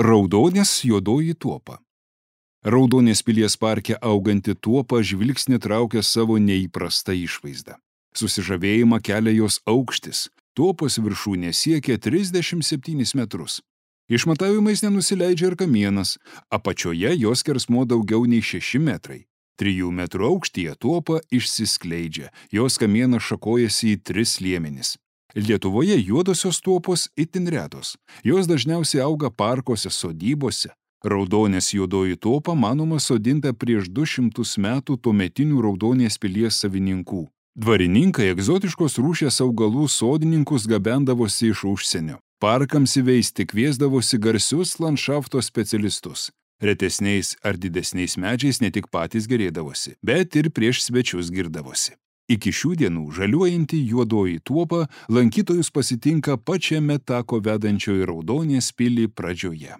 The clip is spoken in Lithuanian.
Raudonės juodoji tuopa. Raudonės pilies parke auganti tuopa žvilgsnį traukia savo neįprastą išvaizdą. Susižavėjimą kelia jos aukštis. Tuopos viršūnė siekia 37 metrus. Išmatavimais nenusileidžia ir kamienas. Apačioje jos skersmuo daugiau nei 6 metrai. 3 metrų aukštyje tuopa išsiskleidžia. Jos kamienas šakojasi į 3 liemenis. Lietuvoje juodosios tuopos itin retos. Jos dažniausiai auga parkuose, sodybose. Raudonės juodoji tuopa manoma sodinta prieš 200 metų tuometinių Raudonės pilies savininkų. Dvarininkai egzotiškos rūšies augalų sodininkus gabendavosi iš užsienio. Parkams įveisti kviesdavosi garsius landšafto specialistus. Retesniais ar didesniais medžiais ne tik patys gerėdavosi, bet ir prieš svečius girdavosi. Iki šių dienų žaliuojanti juodoji tuopa lankytojus pasitinka pačiame tako vedančio į Raudonės pilį pradžioje.